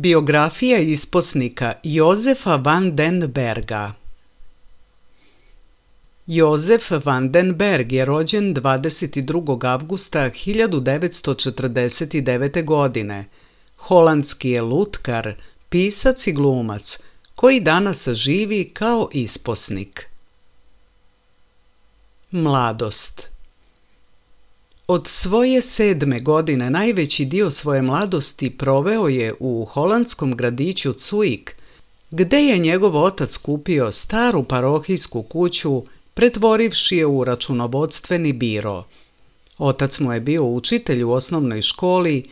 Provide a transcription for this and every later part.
Biografija isposnika Jozefa van den Berga. Jozef van den Berg je rođen 22. avgusta 1949. godine. Holandski je lutkar, pisac i glumac, koji danas živi kao isposnik. Mladost. Od svoje 7. godine najveći dio svoje mladosti proveo je u holandskom gradiću Cuijk, gde je njegov otac kupio staru parohijsku kuću, pretvorivši je u računovodstveni biro. Otac mu je bio učitelj u osnovnoj školi,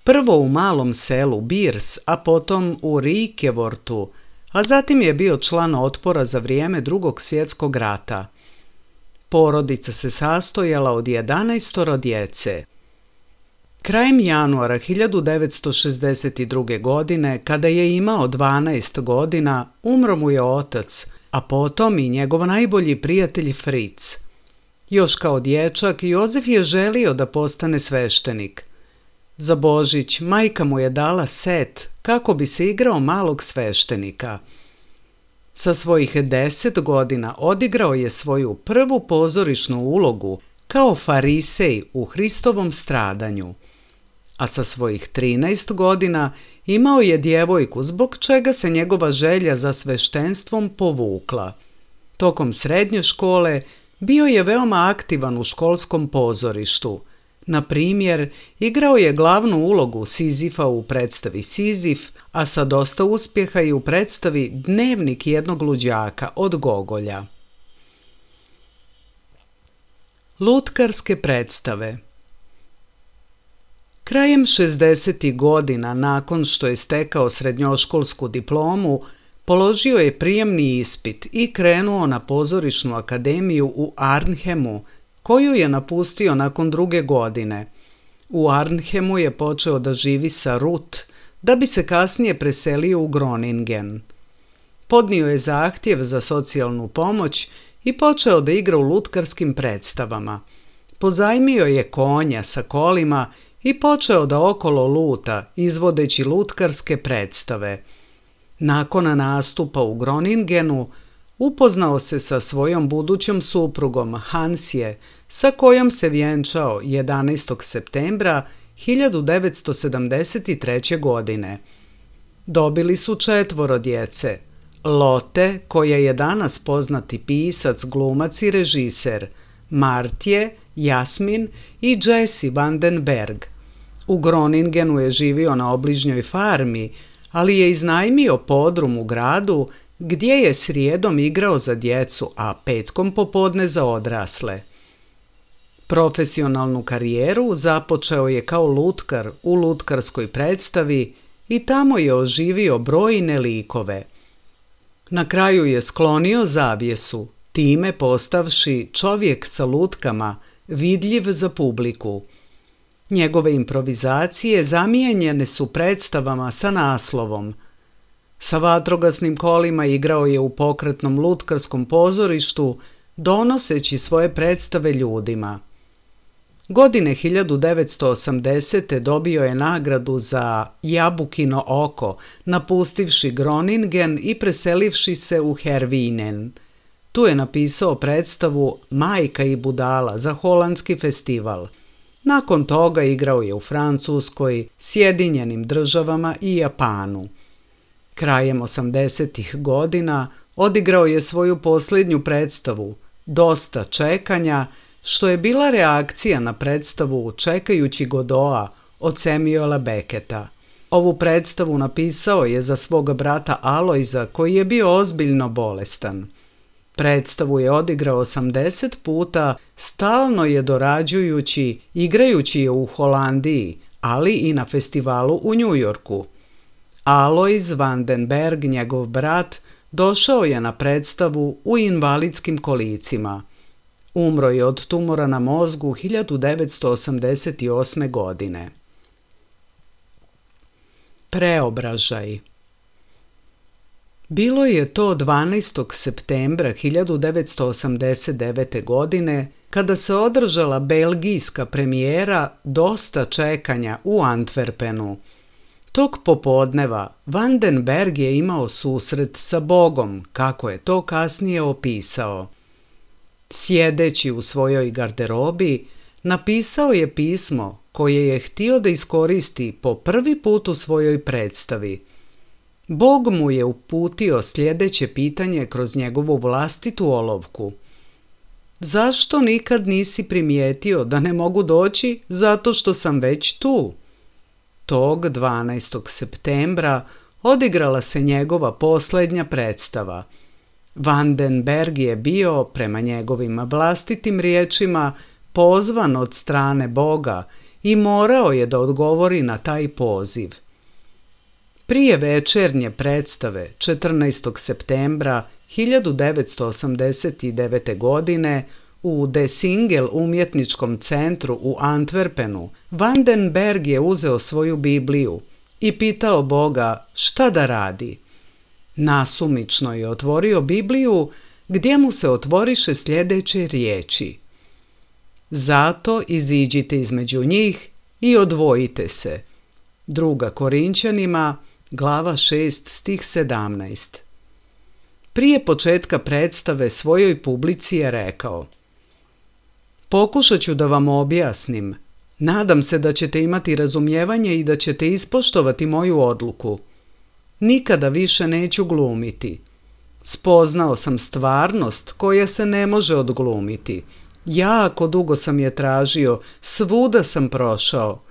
prvo u malom selu Birs, a potom u Rikevortu, a zatim je bio član otpora za vrijeme Drugog svjetskog rata. Porodica se sastojala od 11 djece. Krajem januara 1962. godine, kada je imao 12 godina, umro mu je otac, a potom i njegov najbolji prijatelj Fritz. Još kao dječak, Jozef je želio da postane sveštenik. Za Božić majka mu je dala set kako bi se igrao malog sveštenika. Sa svojih 10 godina odigrao je svoju prvu pozorišnu ulogu kao farisej u Hristovom stradanju, a sa svojih 13 godina imao je djevojku zbog čega se njegova želja za sveštenstvom povukla. Tokom srednje škole bio je veoma aktivan u školskom pozorištu. Na primjer, igrao je glavnu ulogu Sizifa u predstavi Sizif, a sa dosta uspjeha i u predstavi Dnevnik jednog luđaka od Gogolja. Lutkarske predstave. Krajem 60. godina, nakon što je stekao srednjoškolsku diplomu, položio je prijemni ispit i krenuo na pozorišnu akademiju u Arnhemu, koju je napustio nakon 2. godine. U Arnhemu je počeo da živi sa Ruth, da bi se kasnije preselio u Groningen. Podnio je zahtjev za socijalnu pomoć i počeo da igra u lutkarskim predstavama. Pozajmio je konja sa kolima i počeo da okolo luta, izvodeći lutkarske predstave. Nakon nastupa u Groningenu upoznao se sa svojom budućom suprugom Hansje, sa kojom se vjenčao 11. septembra 1973. godine. Dobili su 4 djece: Lotte, koja je danas poznati pisac, glumac i režiser, Martje, Jasmin i Jesse Vandenberg. U Groningenu je živio na obližnjoj farmi, ali je iznajmio podrum u gradu gdje je srijedom igrao za djecu, a petkom popodne za odrasle. Profesionalnu karijeru započeo je kao lutkar u lutkarskoj predstavi i tamo je oživio brojne likove. Na kraju je sklonio zavjesu, time postavši čovjek sa lutkama, vidljiv za publiku. Njegove improvizacije zamijenjene su predstavama sa naslovom. Sa vatrogasnim kolima igrao je u pokretnom lutkarskom pozorištu, donoseći svoje predstave ljudima. Godine 1980. dobio je nagradu za Jabukino oko, napustivši Groningen i preselivši se u Herwijnen. Tu je napisao predstavu Majka i budala za holandski festival. Nakon toga igrao je u Francuskoj, Sjedinjenim Državama i Japanu. Krajem 80-ih godina odigrao je svoju posljednju predstavu, Dosta čekanja, što je bila reakcija na predstavu Čekajući Godoa od Samuela Becketa. Ovu predstavu napisao je za svog brata Alojza, koji je bio ozbiljno bolestan. Predstavu je odigrao 80 puta, stalno je dorađujući, igrajući je u Holandiji, ali i na festivalu u Njujorku. Alojz Vandenberg, njegov brat, došao je na predstavu u invalidskim kolicima. Umro je od tumora na mozgu 1988. godine. Preobražaj. Bilo je to 12. septembra 1989. godine kada se održala belgijska premijera Dosta čekanja u Antwerpenu. Tog popodneva Vandenberg je imao susret sa Bogom, kako je to kasnije opisao. Sjedeći u svojoj garderobi, napisao je pismo koje je htio da iskoristi po prvi put u svojoj predstavi. Bog mu je uputio sljedeće pitanje kroz njegovu vlastitu olovku. Zašto nikad nisi primijetio da ne mogu doći zato što sam već tu? Tog 12. septembra odigrala se njegova posljednja predstava. Vandenberg je bio, prema njegovim vlastitim riječima, pozvan od strane Boga i morao je da odgovori na taj poziv. Prije večernje predstave 14. septembra 1989. godine u De Singel umjetničkom centru u Antwerpenu, Vandenberg je uzeo svoju Bibliju i pitao Boga šta da radi. Nasumično je otvorio Bibliju gdje mu se otvoriše sljedeće riječi. Zato iziđite između njih i odvojite se. 2. Korinćanima, glava 6, stih 17. Prije početka predstave svojoj publici je rekao: Pokušat ću da vam objasnim. Nadam se da ćete imati razumijevanje i da ćete ispoštovati moju odluku. Nikada više neću glumiti. Spoznao sam stvarnost koja se ne može odglumiti. Jako dugo sam je tražio, svuda sam prošao.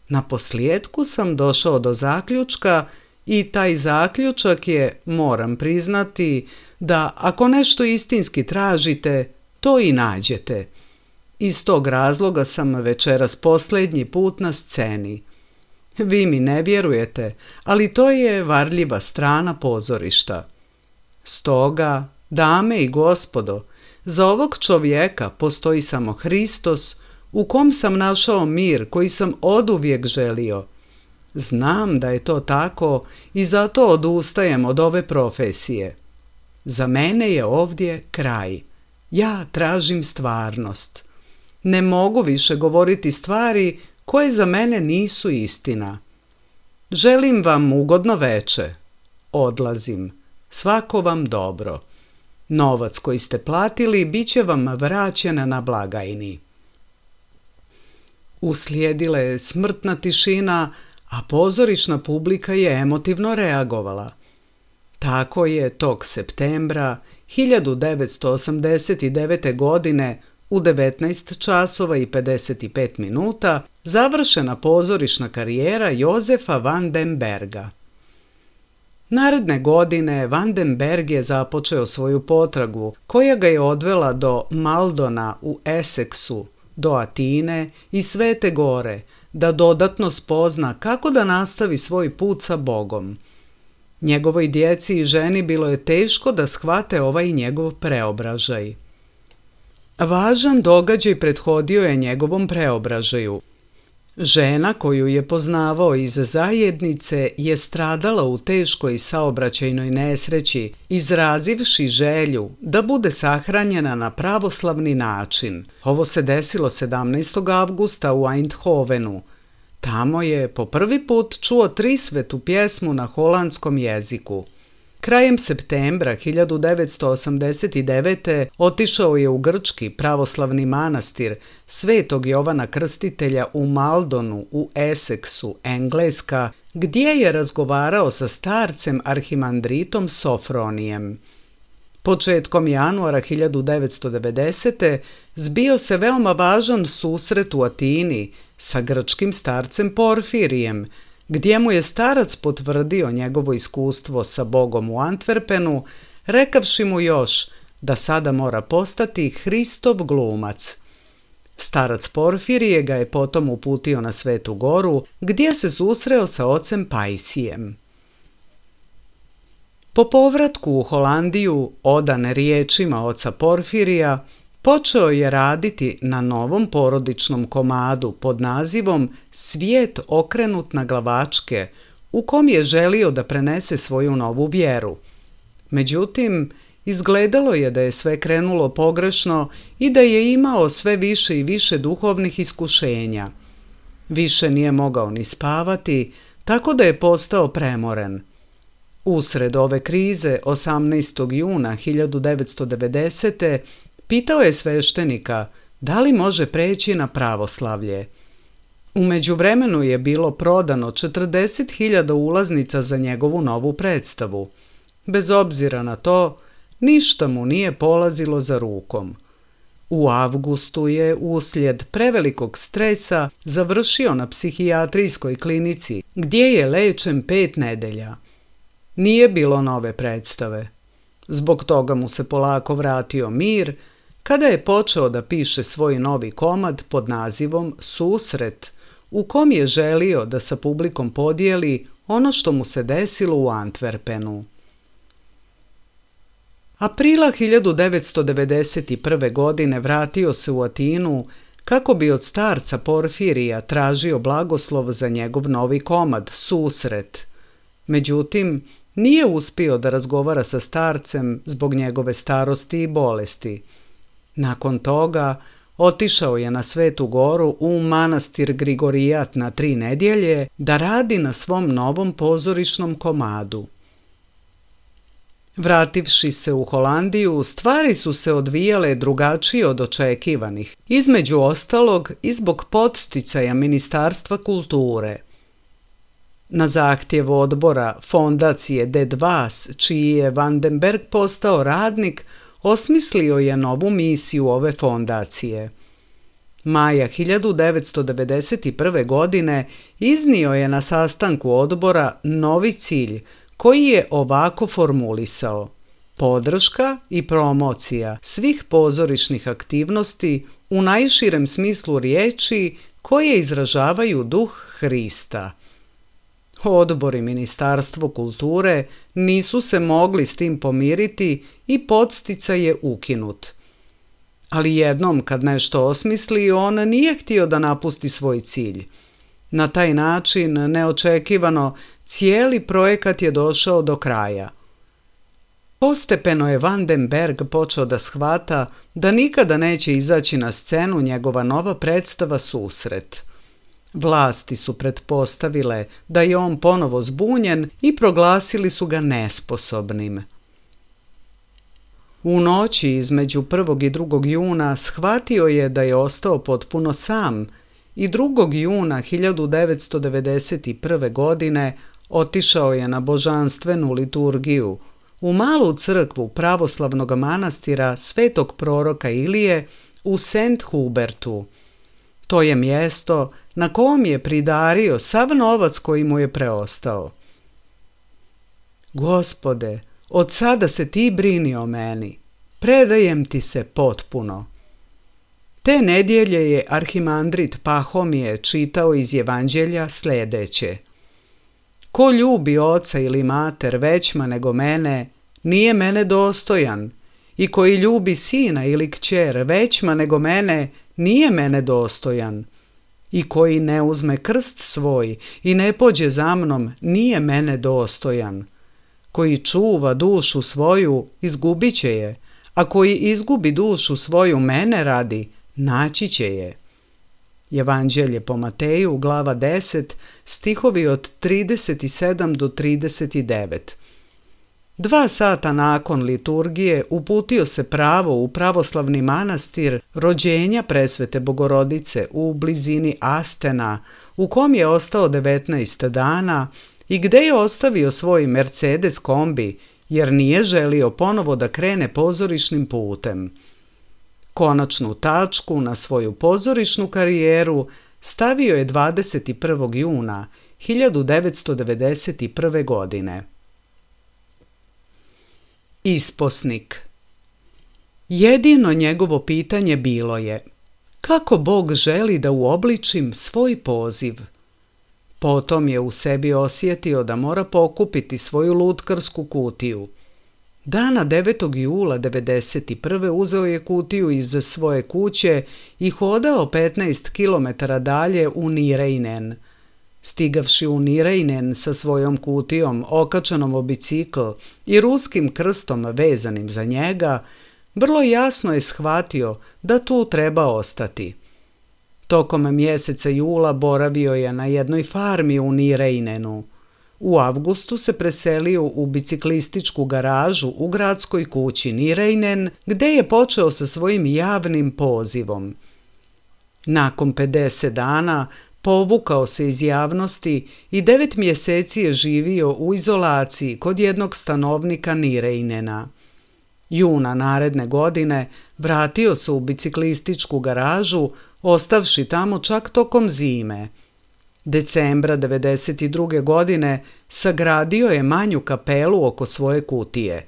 Naposljetku sam došao do zaključka i taj zaključak je, moram priznati, da ako nešto istinski tražite, to i nađete. Iz tog razloga sam večeras posljednji put na sceni. Vi mi ne vjerujete, ali to je varljiva strana pozorišta. Stoga, dame i gospodo, za ovog čovjeka postoji samo Hristos, u kom sam našao mir koji sam oduvijek želio. Znam da je to tako i zato odustajem od ove profesije. Za mene je ovdje kraj. Ja tražim stvarnost. Ne mogu više govoriti stvari koje za mene nisu istina. Želim vam ugodno veče. Odlazim. Svako vam dobro. Novac koji ste platili bit će vam vraćen na blagajni. Uslijedila je smrtna tišina, a pozorišna publika je emotivno reagovala. Tako je tog septembra 1989. godine u 19 časova i 55 minuta završena pozorišna karijera Jozefa van den Berga. Naredne godine Van den Berg je započeo svoju potragu koja ga je odvela do Maldona u Essexu, do Atine i Svete Gore, da dodatno spozna kako da nastavi svoj put sa Bogom. Njegovoj djeci i ženi bilo je teško da shvate ovaj njegov preobražaj. Važan događaj prethodio je njegovom preobražaju. Žena koju je poznavao iz zajednice je stradala u teškoj saobraćajnoj nesreći, izrazivši želju da bude sahranjena na pravoslavni način. Ovo se desilo 17. avgusta u Eindhovenu. Tamo je po prvi put čuo trisvetu pjesmu na holandskom jeziku. Krajem septembra 1989. otišao je u grčki pravoslavni manastir Svetog Jovana Krstitelja u Maldonu u Essexu, Engleska, gdje je razgovarao sa starcem arhimandritom Sofronijem. Početkom januara 1990. zbio se veoma važan susret u Atini sa grčkim starcem Porfirijem, gdje mu je starac potvrdio njegovo iskustvo sa Bogom u Antwerpenu, rekavši mu još da sada mora postati Hristov glumac. Starac Porfirije ga je potom uputio na Svetu Goru, gdje se susreo sa ocem Pajsijem. Po povratku u Holandiju, odan riječima oca Porfirija, počeo je raditi na novom porodičnom komadu pod nazivom Svijet okrenut na glavačke, u kom je želio da prenese svoju novu vjeru. Međutim, izgledalo je da je sve krenulo pogrešno i da je imao sve više i više duhovnih iskušenja. Više nije mogao ni spavati, tako da je postao premoren. Usred ove krize, 18. juna 1990. pitao je sveštenika da li može preći na pravoslavlje. U međuvremenu je bilo prodano 40.000 ulaznica za njegovu novu predstavu. Bez obzira na to, ništa mu nije polazilo za rukom. U avgustu je uslijed prevelikog stresa završio na psihijatrijskoj klinici, gdje je lečen 5 nedelja. Nije bilo nove predstave. Zbog toga mu se polako vratio mir, kada je počeo da piše svoj novi komad pod nazivom Susret, u kom je želio da sa publikom podijeli ono što mu se desilo u Antwerpenu. Aprila 1991. godine vratio se u Atinu kako bi od starca Porfirija tražio blagoslov za njegov novi komad Susret. Međutim, nije uspio da razgovara sa starcem zbog njegove starosti i bolesti. Nakon toga otišao je na Svetu Goru u manastir Grigorijat na 3 nedjelje da radi na svom novom pozorišnom komadu. Vrativši se u Holandiju, stvari su se odvijale drugačije od očekivanih, između ostalog i zbog podsticaja Ministarstva kulture. Na zahtjev odbora fondacije De Dwaas, čiji je Van den Berg postao radnik, osmislio je novu misiju ove fondacije. Maja 1991. godine iznio je na sastanku odbora novi cilj koji je ovako formulisao: podrška i promocija svih pozorišnih aktivnosti u najširem smislu riječi koje izražavaju duh Hrista. Odbor i Ministarstvo kulture nisu se mogli s tim pomiriti i podsticaj je ukinut. Ali jednom kad nešto osmisli, on nije htio da napusti svoj cilj. Na taj način, neočekivano, cijeli projekat je došao do kraja. Postepeno je Van den Berg počeo da shvata da nikada neće izaći na scenu njegova nova predstava Susret. Vlasti su pretpostavile da je on ponovo zbunjen i proglasili su ga nesposobnim. U noći između 1. i 2. juna shvatio je da je ostao potpuno sam i 2. juna 1991. godine otišao je na božanstvenu liturgiju u malu crkvu pravoslavnog manastira Svetog proroka Ilije u St. Hubertu. To je mjesto na kom je pridario sav novac koji mu je preostao. Gospode, od sada se ti brini o meni, predajem ti se potpuno. Te nedjelje je arhimandrit Pahomije čitao iz Evanđelja sljedeće. Ko ljubi oca ili mater većma nego mene, nije mene dostojan, i koji ljubi sina ili kćer većma nego mene, nije mene dostojan, i koji ne uzme krst svoj i ne pođe za mnom, nije mene dostojan. Koji čuva dušu svoju, izgubit će je, a koji izgubi dušu svoju mene radi, naći će je. Evanđelje po Mateju, glava 10, stihovi od 37 do 39. 2 sata nakon liturgije uputio se pravo u pravoslavni manastir Rođenja Presvete Bogorodice u blizini Astena, u kom je ostao 19 dana i gde je ostavio svoj Mercedes kombi, jer nije želio ponovo da krene pozorišnim putem. Konačnu tačku na svoju pozorišnu karijeru stavio je 21. juna 1991. godine. Isposnik. Jedino njegovo pitanje bilo je: kako Bog želi da uobličim svoj poziv? Potom je u sebi osjetio da mora pokupiti svoju lutkarsku kutiju. Dana 9. jula 1991. uzeo je kutiju iz svoje kuće i hodao 15 km dalje u Nireinen. Stigavši u Nireinen sa svojom kutijom okačanom o bicikl i ruskim krstom vezanim za njega, vrlo jasno je shvatio da tu treba ostati. Tokom mjeseca jula boravio je na jednoj farmi u Nireinenu. U avgustu se preselio u biciklističku garažu u gradskoj kući Nireinen, gde je počeo sa svojim javnim pozivom. Nakon 50 dana povukao se iz javnosti i 9 mjeseci je živio u izolaciji kod jednog stanovnika Nireinena. Juna naredne godine vratio se u biciklističku garažu, ostavši tamo čak tokom zime. Decembra 1992. godine sagradio je manju kapelu oko svoje kutije.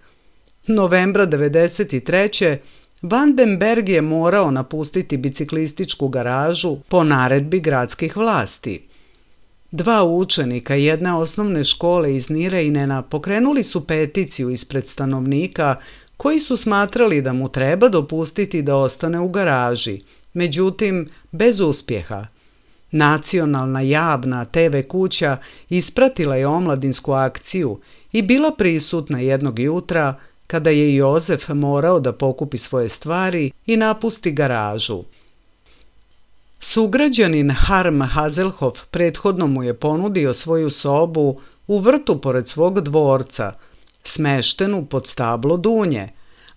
Novembra 1993. Vandenberg je morao napustiti biciklističku garažu po naredbi gradskih vlasti. 2 učenika jedne osnovne škole iz Nireinena pokrenuli su peticiju ispred stanovnika koji su smatrali da mu treba dopustiti da ostane u garaži, međutim bez uspjeha. Nacionalna javna TV kuća ispratila je omladinsku akciju i bila prisutna jednog jutra kada je Jozef morao da pokupi svoje stvari i napusti garažu. Sugrađanin Harm Hazelhoff prethodno mu je ponudio svoju sobu u vrtu pored svog dvorca, smeštenu pod stablo dunje,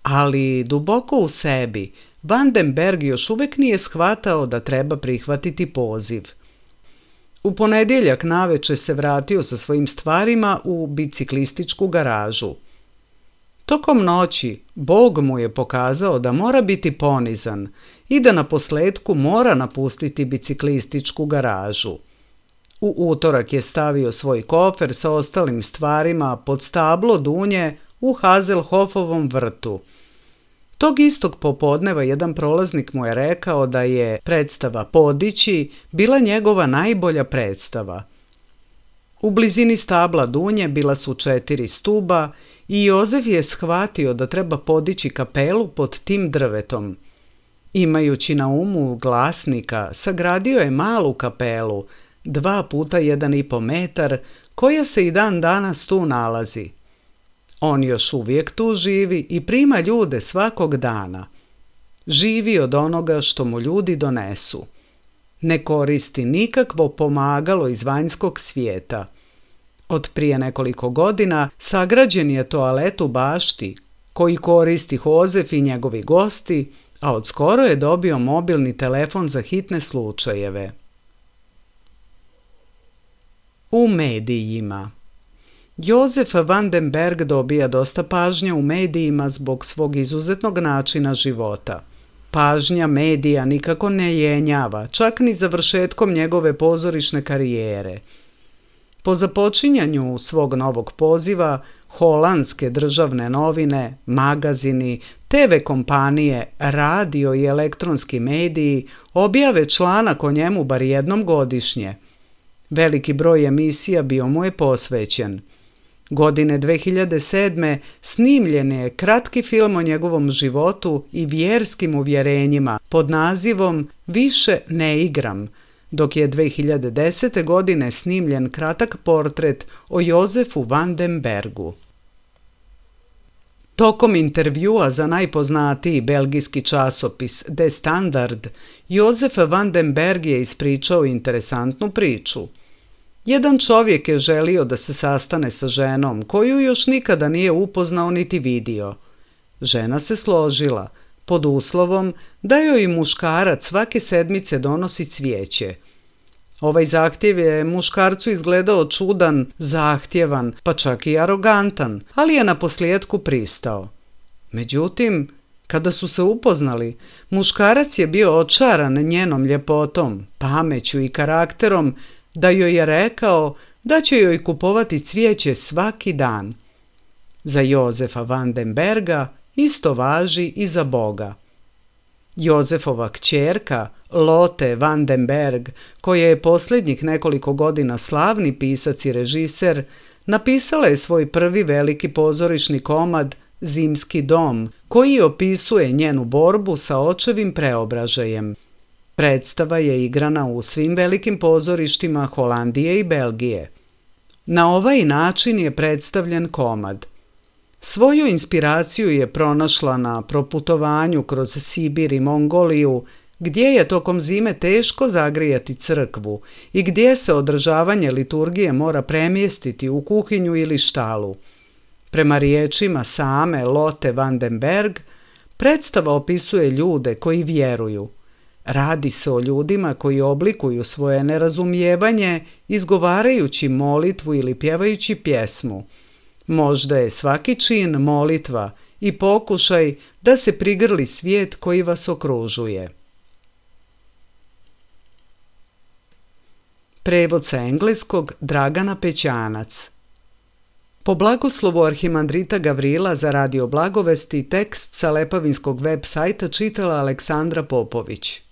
ali duboko u sebi Vandenberg još uvijek nije shvatao da treba prihvatiti poziv. U ponedjeljak naveče se vratio sa svojim stvarima u biciklističku garažu. Tokom noći Bog mu je pokazao da mora biti ponizan i da naposljetku mora napustiti biciklističku garažu. U utorak je stavio svoj kofer sa ostalim stvarima pod stablo dunje u Hazelhoffovom vrtu. Tog istog popodneva jedan prolaznik mu je rekao da je predstava Podići bila njegova najbolja predstava. U blizini stabla dunje bila su 4 stuba i Jozef je shvatio da treba podići kapelu pod tim drvetom. Imajući na umu glasnika, sagradio je malu kapelu, 2 puta 1,5 metar, koja se i dan danas tu nalazi. On još uvijek tu živi i prima ljude svakog dana. Živi od onoga što mu ljudi donesu. Ne koristi nikakvo pomagalo iz vanjskog svijeta. Od prije nekoliko godina sagrađen je toalet u bašti koji koristi Jozef i njegovi gosti, a od skoro je dobio mobilni telefon za hitne slučajeve. U medijima. Jozef van den Berg dobija dosta pažnje u medijima zbog svog izuzetnog načina života. Pažnja medija nikako ne jenjava, čak ni završetkom njegove pozorišne karijere. Po započinjanju svog novog poziva, holandske državne novine, magazini, TV kompanije, radio i elektronski mediji objave članak o njemu bar jednom godišnje. Veliki broj emisija bio mu je posvećen. Godine 2007. snimljen je kratki film o njegovom životu i vjerskim uvjerenjima pod nazivom Više ne igram, dok je 2010. godine snimljen kratak portret o Jozefu van den Bergu. Tokom intervjua za najpoznatiji belgijski časopis De Standard, Jozef van den Berg je ispričao interesantnu priču. Jedan čovjek je želio da se sastane sa ženom koju još nikada nije upoznao niti vidio. Žena se složila, pod uslovom da joj muškarac svake sedmice donosi cvijeće. Ovaj zahtjev je muškarcu izgledao čudan, zahtjevan, pa čak i arogantan, ali je naposljetku pristao. Međutim, kada su se upoznali, muškarac je bio očaran njenom ljepotom, pameću i karakterom, da joj je rekao da će joj kupovati cvijeće svaki dan. Za Jozefa van den Berga isto važi i za Boga. Jozefova kćerka, Lotte van den Berg, koja je posljednjih nekoliko godina slavni pisac i režiser, napisala je svoj prvi veliki pozorišni komad Zimski dom, koji opisuje njenu borbu sa očevim preobražajem. Predstava je igrana u svim velikim pozorištima Holandije i Belgije. Na ovaj način je predstavljen komad. Svoju inspiraciju je pronašla na proputovanju kroz Sibir i Mongoliju, gdje je tokom zime teško zagrijati crkvu i gdje se održavanje liturgije mora premjestiti u kuhinju ili štalu. Prema riječima same Lotte van den Berg, predstava opisuje ljude koji vjeruju. Radi se o ljudima koji oblikuju svoje nerazumijevanje izgovarajući molitvu ili pjevajući pjesmu. Možda je svaki čin molitva i pokušaj da se prigrli svijet koji vas okružuje. Prevod sa engleskog Dragana Pećanac. Po blagoslovu arhimandrita Gavrila za Radio Blagovesti tekst sa Lepavinskog web sajta čitala Aleksandra Popović.